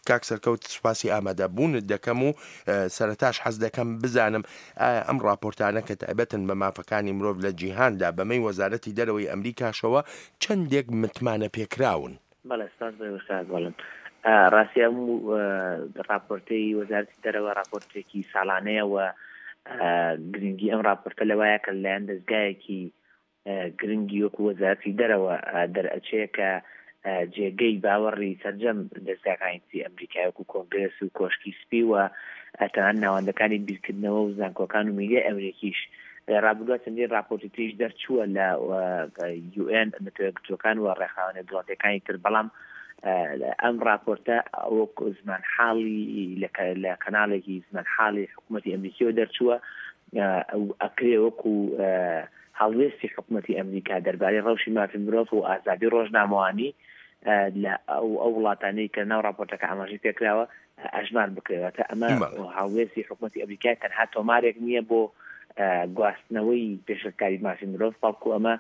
کاک سەرکەوت سوپاسی ئامادەبوونت دەکەم و سەرەتاش حەز دەکەم بزانم ئایا ئەم ڕاپۆرتانە کە تایبەتن بە مافەکانی مرۆڤ لە جیهاندا بەمەی وەزارەتی دەرەوەی ئەمریکاشەوە چەندێک متمانە پێکراون؟ بەڵێ سپاس بۆ ئێوەش کاک گۆڵن. ڕاستی ئەم ڕاپۆرتەی وەزارەتی دەرەوە ڕاپۆرتێکی ساڵانەیە و گرنگی ئەم ڕاپۆرتە لەوایە کە لەلایەن دەزگایەکی گرنگی وەکو وەزارەتی دەرەوە دەرئەچێ کە جێگەی باوەڕی سەرجەم دەزگاکانی تری ئەمریکای وەکو کۆنگرێس و کۆشکی سپی و تەنانەت ناوەندەکانی بیرکردنەوە و زانکۆکان و میدیای ئەمریکیش. لە ڕابردووە چەندین ڕاپۆرتی تریش دەرچووە لە یو ئێن، نەتەوە یەکگرتووەکان و ڕێکخراوە نێودەوڵەتییەکانی تر، بەڵام ئەم ڕاپۆرتە وەک زمانحاڵی لە کەناڵێکی زمانحاڵی حکوومەتی ئەمریکیەوە دەرچووە ئەکرێ وەکو هەڵوێستی حکوومەتی ئەمریکا دەربارەی ڕەوشی مافی مرۆڤ و ئازادی ڕۆژنامەوانی لە ئەو وڵاتانەی کە ناو ڕاپۆرتەکە ئاماژەی پێکراوە ئەژمار بکرێت. واتە ئەمە هەڵوێستی حکوومەتی ئەمریکای تەنها تۆمارێک نییە بۆ گواستنەوەی پێشێلکاری مافی مرۆڤ، بەڵکو ئەمە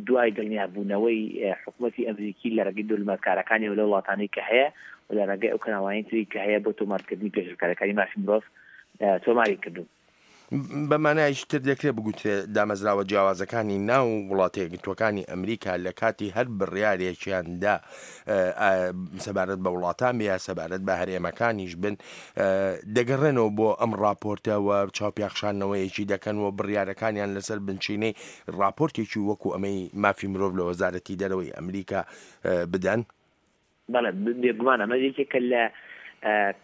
دوای دڵنیابوونەوەی حکوومەتی ئەمریکی لە ڕێگەی دۆلماتکارەکانیەوە لە وڵاتانەی کە هەیە و لە ڕێگەی ئەو کەناڵانی تری کە هەیە بۆ تۆمارکردنی پێشێلکاریەکانی مافی مرۆڤ تۆماری کردوون. بە مانایەکی تر دەکرێت بگوترێ دامەزراوە جیاوازەکانی ناو وڵاتە یەکگرتووەکانی ئەمریکا لە کاتی هەر بڕیارێکیاندا سەبارەت بە وڵاتان بێ یا سەبارەت بە هەرێمەکانیش بن دەگەڕێنەوە بۆ ئەم ڕاپۆرتە و چاوپیاخشانەوەیەکی دەکەن و بڕیارەکانیان لەسەر بنچینەی ڕاپۆرتێکی وەکو ئەمەی مافی مرۆڤ لە وەزارەتی دەرەوەی ئەمریکا بدەن. بەڵێ بێگومان ئەمە یەکێکە لە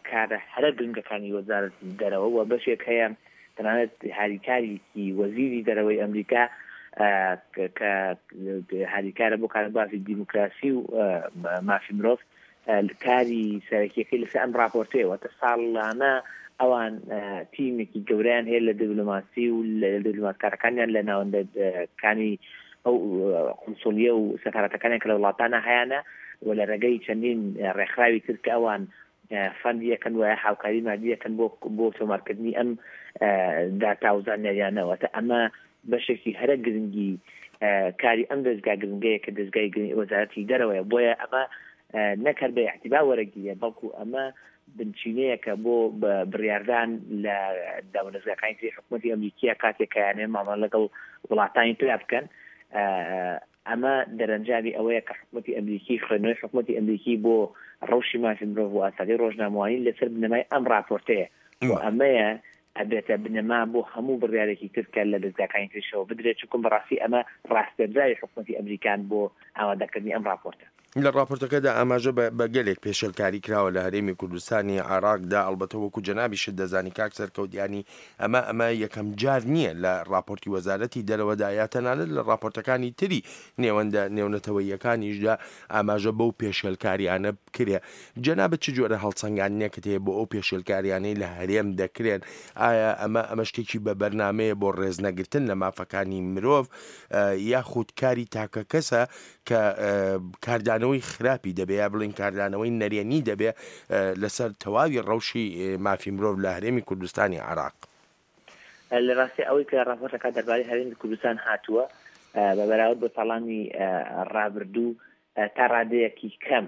کارە هەرە گرنگەکانی وەزارەتی دەرەوە و بەشێک هەیە تەنانەت هاریکارێکی وەزیری دەرەوەی ئەمریکا کە هاریکارە بۆ کاروباری دیموکراسی و مافی مرۆڤ کاری سەرەکیەکەی لەسەر ئەم راپۆرتەیە واتە ساڵانە ئەوان تیمێکی گەورەیان هەیە لە دیبلۆماسی و لە دیبلۆماتکارەکانیان لە ناوەندەکانی ئەو قونسوڵیە و سەفارەتەکانیان کە لە وڵاتانە هەیانە و لە ڕێگەی چەندین ڕێکخراوی تر کە ئەوان فەندی ئەکەن وایە هاوکاری مادی ئەکەن بۆ بۆ تۆمارکردنی ئەم داتا و زانیاریانە واتە ئەمە بەشێکی هەرە گرنگی کاری ئەم دەزگا گرنگەیە کە دەزگای وەزارەتی دەرەوەیە بۆیە ئەمە نەک هەر بە ئیعتیبار وەرەگیرێ بەڵکو ئەمە بنچینەیەکە بۆ بڕیاردان لە دامودەزگاکانی تری حکوومەتی ئەمریکیە کاتێک کە یانێ مامەڵە لەگەڵ وڵاتانی ترا بکەن. ئەمە دەرەنجامی ئەوەیە کە حکوومەتی ئەمریکی خوێندنەوەی حکوومەتی ئەمریکی بۆ ڕەوشی مافی مرۆڤ و ئازادی ڕۆژنامەوانی لەسەر بنەمای ئەم ڕاپۆرتەیە و ئەمەیە ئەبێتە بنەما بۆ هەموو بڕیارێکی تر کە لە دەزگاکانی تریشەوە بدرێت، چونکە بەڕاستی ئەمە ڕاسپێردراوی حکومەتی ئەمریکان بۆ ئامادەکردنی ئەم ڕاپۆرتە. لە ڕاپۆرتەکەدا ئاماژە بە بە گەلێک پێشێلکاری کراوە لە هەرێمی کوردستانی عێراقدا، ئەڵبەتە وەکو جەنابیشت دەزانی کاک سەرکەوت یانی ئەمە ئەمە یەکەم جار نییە لە ڕاپۆرتی وەزارەتی دەرەوەدا یا تەنانەت لە ڕاپۆرتەکانی تری نێوەندە نێونەتەوەییەکانیشدا ئاماژە بەو پێشێلکاریانە بکرێ جەنابت چ جۆرە هەڵسەنگاندنێکت هەیە بۆ ئەو پێشێلکاریانەی لە هەرێم دەکرێن؟ ئایا ئەمە ئەمە شتێکی بە بەرنامەیە بۆ ڕێزنەگرتن لە مافەکانی مرۆڤ یاخود کاری تاکەکەسە کە کاردانەوەی خراپی دەبێ یا بڵێین کاردانەوەی نەرێنی دەبێ لەسەر تەواوی ڕەوشی مافی مرۆڤ لە هەرێمی کوردستانی عێراق؟ لە ڕاستی ئەوەی کە ڕاپۆرتەکە دەربارەی هەرێمی کوردستان هاتووە بە بەراورد بە ساڵانی ڕابردوو تا ڕادەیەکی کەم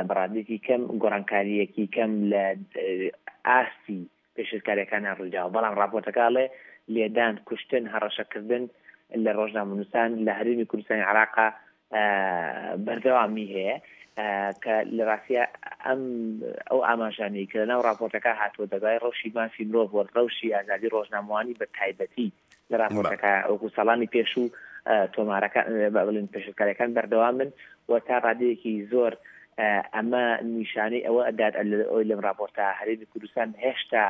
بە ڕادەیەکی کەم گۆڕانکارییەکی کەم لە ئاستی پێشێلکارییەکانیان ڕوویداوە، بەڵام ڕاپۆرتەکە ئەڵێ لێدان، کوشتن، هەڕەشەکردن لە ڕۆژنامەنووسان لە هەرێمی کوردستانی عێراقا بەردەوامی هەیە کە لە ڕاستیا ئەم ئەو ئاماژانەی کە لەناو ڕاپۆرتەکە هاتووە دەربارەی ڕەوشی مافی مرۆڤ و ڕەوشی ئازادی ڕۆژنامەوانی بە تایبەتی لە ڕاپۆرتەکە وەکو ساڵانی پێشوو تۆمارەکان بڵێن پێشێلکاریەکان بەردەوامن و تا ڕادەیەکی زۆر ئەمە نیشانەی ئەوە ئەدات ئەوەی لەم ڕاپۆرتە هەرێمی کوردستان هێشتا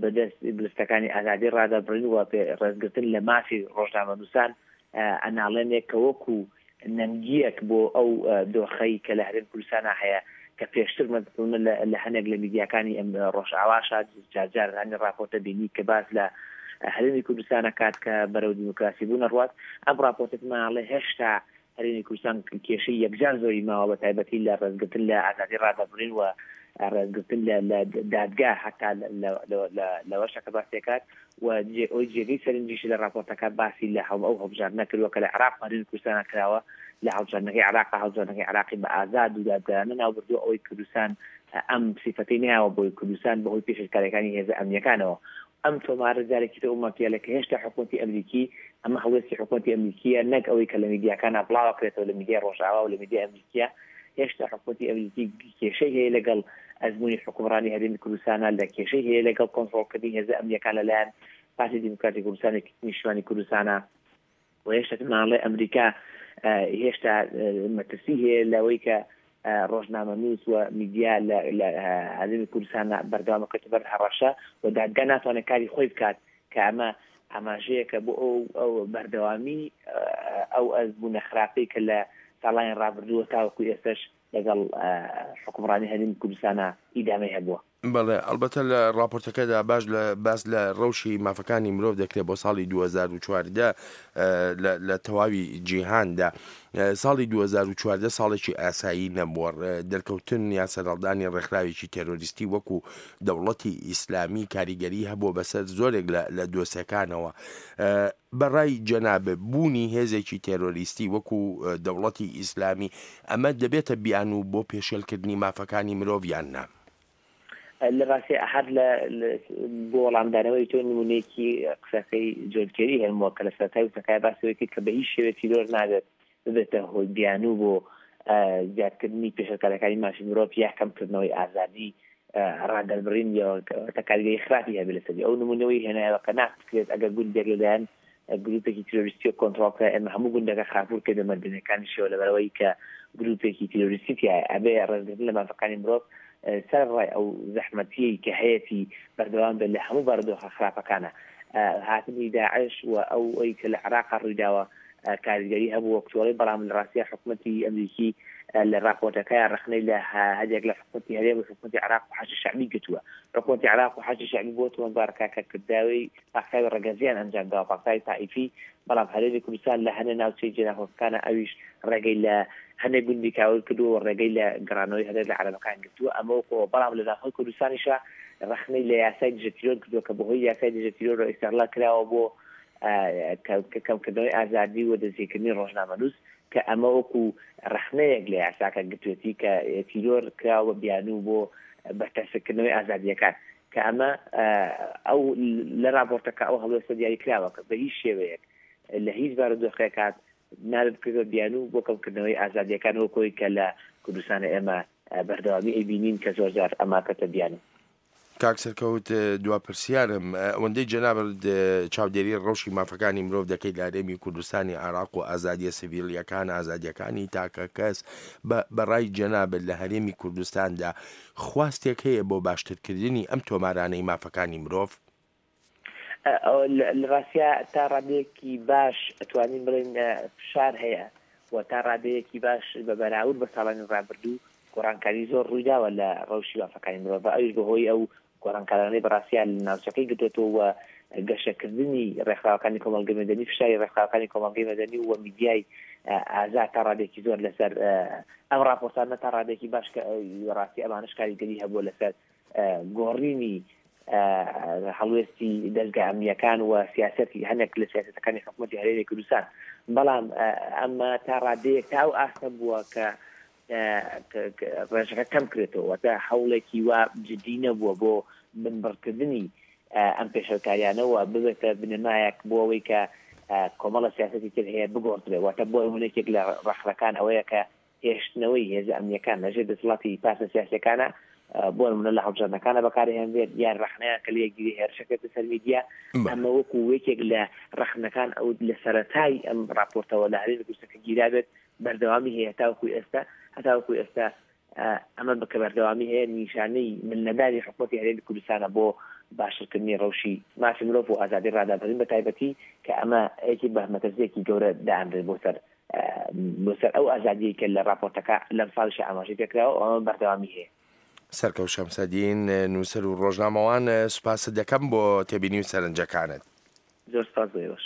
بەدەست گرفتەکانی ئازادی ڕادەبڕین و ڕێزگرتن لە مافی ڕۆژنامەنووسان ئەناڵێنێک کە وەکو نەنگییەک بۆ ئەو دۆخەی کە لە هەرێمی کوردستانا هەیە کە پێشتر مەسەلەن لە هەنێک لە میدیاکانی ئەم ڕۆژئاواشا جار جار هەنێ ڕاپۆرتە بینی کە باس لە هەرێمی کوردستان ئەکات کە بەرەو دیموکراسی بوون ئەڕوات ئەم ڕاپۆرتە پێمان ئەڵێ هێشتا هەرێمی کوردستان کێشەی یەکجار زۆری ماوە بە تایبەتی لە ڕێزگرتن لە ئازادی ڕادەربڕین و ڕێزگرتن لە لە دادگا هەتا لەوەشە کە باسی دەکات و ئەوەی جێگەی سەرنجیشە لە ڕاپۆرتەکە باسی لە ئەو هەڵبژاردنە کردووە کە لە عێراق و هەرێمی کوردستان کراوە لە هەڵبژاردنەکەی عێراق هەڵبژاردنەکەی عێراقی بە ئازاد و دادگەرانە ناوبردووە ئەوەی کوردستان ئەم سیفەتەی نایەوە بۆی کوردستان بەهۆی پێشێلکاریەکانی هێزە ئەمنیەکانەوە ئەم تۆمارە جارێکی تر ئەو مەتیەلە کە هێشتا حکومەتی ئەمریکی ئەمە هەڵوێستی حکومەتی ئەمریکیە نەک ئەوەی کە لە میدیاکانا بڵاوەکرێتەوە لە میدیای ڕۆژئاوا و لە میدیای ئەمریکیە هێشتا حکومەتی ئەمریکی کێشەی هەیە لەگەڵ ئەزموونی حوکمڕانی هەرێمی کوردستانە لە کێشەی هەیە لەگەڵ کۆنتڕۆڵکردنی هێزە ئەمنیەکان لەلایەن پارتی دیموکراتی کوردستان و یەکێتی نیشتمانی کوردستانە و هێشتا ماڵێ ئەمریکا هێشتا مەترسی هەیە لەوەی کە ڕۆژنامەنووس و میدیا لە هەرێمی کوردستان بەردەوام بکەوێتە بەر هەڕەشە و دادگا ناتوانێت کاری خۆی بکات کە ئەمە ئاماژەیەکە بۆ ئەو ئەو بەردەوامی ئەو ئەزموونە خراپەی کە لە ساڵانی ڕابردووە تاوەکو ئێستش لەگەڵ حوکمڕانی هەرێمی کوردستانا ئیدامەی هەبووە. بەڵێ، ئەڵبەتە لە ڕاپۆرتەکەدا باش لە باس لە ڕەوشی مافەکانی مرۆڤ دەکرێت بۆ ساڵی 2014 لە تەواوی جیهاندا. ساڵی 2014 ساڵێکی ئاسایی نەبووە، دەرکەوتن یا سەرهەڵدانی ڕێکخراوێکی تێرۆریستی وەکو دەوڵەتی ئیسلامی کاریگەری هەبووە بەسەر زۆرێک لە دۆسێکانەوە. بە ڕای جەنابت بوونی هێزێکی تێرۆریستی وەکو دەوڵەتی ئیسلامی ئەمە دەبێتە بیانوو بۆ پێشێلکردنی مافەکانی مرۆڤ یان نا؟ لە ڕاستیا هەر لە بۆ وەڵامدانەوەی تۆ نموونەیەکی قسەکەی جۆن کێری هێنمەوە کە لە سەرەتای وتەکای باسی ئەوەی کرد کە بە هیچ شێوەیەک تیرۆر نابێت ببێتە هۆی بیانوو بۆ زیادکردنی پێشێلکاریەکانی مافی مرۆڤ یا کەمکردنەوەی ئازادی ڕادەربڕین یا کاریگەری خراپی هەبێت لەسەری. ئەو نموونەوەی هێنایەوە کە ناکرێت ئەگەر گوندێک لەلایەن گروپێکی تیرۆریستیەوە کۆنتڕۆڵ کرا ئێمە هەموو گوندەکە خاپوور کەین بە مەدەنیەکانیشەوە لەبەرئەوەی کە گروپێکی تیرۆریستی تیایە. ئەبێ ڕێزگرتن لە مافەکانی مرۆڤ سەرەڕای ئەو زەحمەتیەی کە هەیەتی بەردەوام بێت لە هەموو بارودۆخە خراپەکانا. هاتنی داعش و ئەوەی کە لە عێراقا ڕوویداوە کاریگەری هەبوو وەک تۆڵەی، بەڵام لە ڕاستیا حکومەتی ئەمریکی لە ڕاپۆرتەکەیا ڕەخنەی لە هەندێک لە حکومەتی هەرێم و حکومەتی عێراق و حەشدی شەعبی گرتووە. حکومەتی عێراق و حەشدی شەعبی بۆ تۆمەتبار کرا کە کرداوی پاکتاوی ڕەگەزییان ئەنجام داوە، پاکتاوی تائیفی، بەڵام هەرێمی کوردستان لە هەنێ ناوچەی جێناکۆکەکانە ئەویش ڕێگەی لە هەنێ گوندی کاول کردووە و ڕێگەی لە گەڕانەوەی هەنێک لە عەرەبەکان گرتووە، ئەمە وەکو ئەوە، بەڵام لە ناوخۆی کوردستانیشا ڕەخنەی لە یاسای دژە تیرۆر کردووە کە بەهۆی یاسای دژە تیرۆرەوە ئیستغلال کراوە بۆ کەمکردنەوەی ئازادی و دەستگیرکردنی ڕۆژنامەنووس کە ئەمە وەکو ڕەخنەیەک لە یاساکە گرتوێتی کە تیرۆر کراوە بە بیانوو بۆ بەرتەسککردنەوەی ئازادییەکان کە ئەمە ئەو لە ڕاپۆرتەکە ئەو هەڵوێستە دیاری کراوە کە بە هیچ شێوەیەک لە هیچ بارودۆخێکات نابێت بکرێت بە بیانوو بۆ کەمکردنەوەی ئازادییەکان وەک ئەوەی کە لە کوردستانە ئێمە بەردەوامی ئەیبینین کە زۆرجار ئەمە کەتە بیانوو. کاک سەرکەوت دوا پرسیارم ئەوەندەی جەنابت چاودێری ڕەوشی مافەکانی مرۆڤ دەکەیت لە هەرێمی کوردستانی عێراق و ئازادیە سڤیلیەکان ئازادیەکانی تاکە کەس بە ڕای جەنابت لە هەرێمی کوردستاندا خواستێک هەیە بۆ باشترکردنی ئەم تۆمارانەی مافەکانی مرۆڤ؟ لە ڕاستیا تا ڕادەیەکی باش ئەتوانین بڵێین فشار هەیە و تا ڕادەیەکی باش بە بەراورد بە ساڵانی ڕابردوو گۆڕانکاری زۆر ڕوویداوە لە ڕەوشی مافەکانی مرۆڤ ئەویش بەهۆی ئەو گۆڕانکارانەی بەڕاستیا لە ناوچەکەی گرتووەتەوە و گەشەکردنی ڕێکخراوەکانی کۆمەڵگەی مەدەنی فشاری ڕێکخراوەکانی کۆمەڵگەی مەدەنی و میدیای ئازاد تا ڕادێکی زۆر لەسەر ئەم ڕاپۆرتانە تا ڕادێکی باش کە ڕاستی ئەمانەش کاریگەری هەبووە لەسەر گۆڕینی هەڵوێستی دەزگا ئەمنییەکان و سیاسەتی هەندێک لە سیاسەتەکانی حکوومەتی هەرێمی کوردستان بەڵام ئەمە تا ڕادەیەک تا ئەو ئاستە بووە کە ڕێژەکە کەم کرێتەوە واتە هەوڵێکی وا جدی نەبووە بۆ بنبڕکردنی ئەم پێشێلکاریانە و ببێتە بنەمایەک بۆ ئەوەی کە کۆمەڵە سیاسەتی تر هەیە بگۆڕدرێ واتە بۆ نموونە یەکێک لە ڕەخنەکان ئەوەیە کە هێشتنەوەی هێزە ئەمنییەکان لە ژێر دەسەڵاتی پارتە سیاسییەکانە، بۆ نموونە لە هەڵبژاردنەکانە بەکارهێنرێت، یان ڕەخنەیان کە لێ گیرێ هێرش ئەکرێتە سەر میدیا، ئەمە وەکوو یەکێک لە ڕەخنەکان ئەو لە سەرەتای ئەم ڕاپۆرتەوە لە هەرێمی کوردستان کە گیرابێت بەردەوامی هەیە هەتاوەکوو ئێستا، هەتاوەکوو ئێستا ئەمە کە بەردەوامی هەیە نیشانەی ملنەدانی حکوومەتی هەرێمی کوردستانە بۆ باشترکردنی ڕەوشی مافی مرۆڤ و ئازادی ڕادەربڕین بە تایبەتی کە ئەمە یەکێک بە مەترسییەکی گەورە دائەنرێت بۆ سەر بۆ سەر ئەو ئازادیەی کە لە ڕاپۆرتەکە لەم ساڵیشا ئاماژەی پێکراوە و ئەمە بەردەوامی هەیە. سەرکەوت شەمسەدین، نووسەر و ڕۆژنامەوان، سوپاست دەکەم بۆ تێبینی و سەرنجەکانت. زۆر سوپاس بۆ ئێوەش.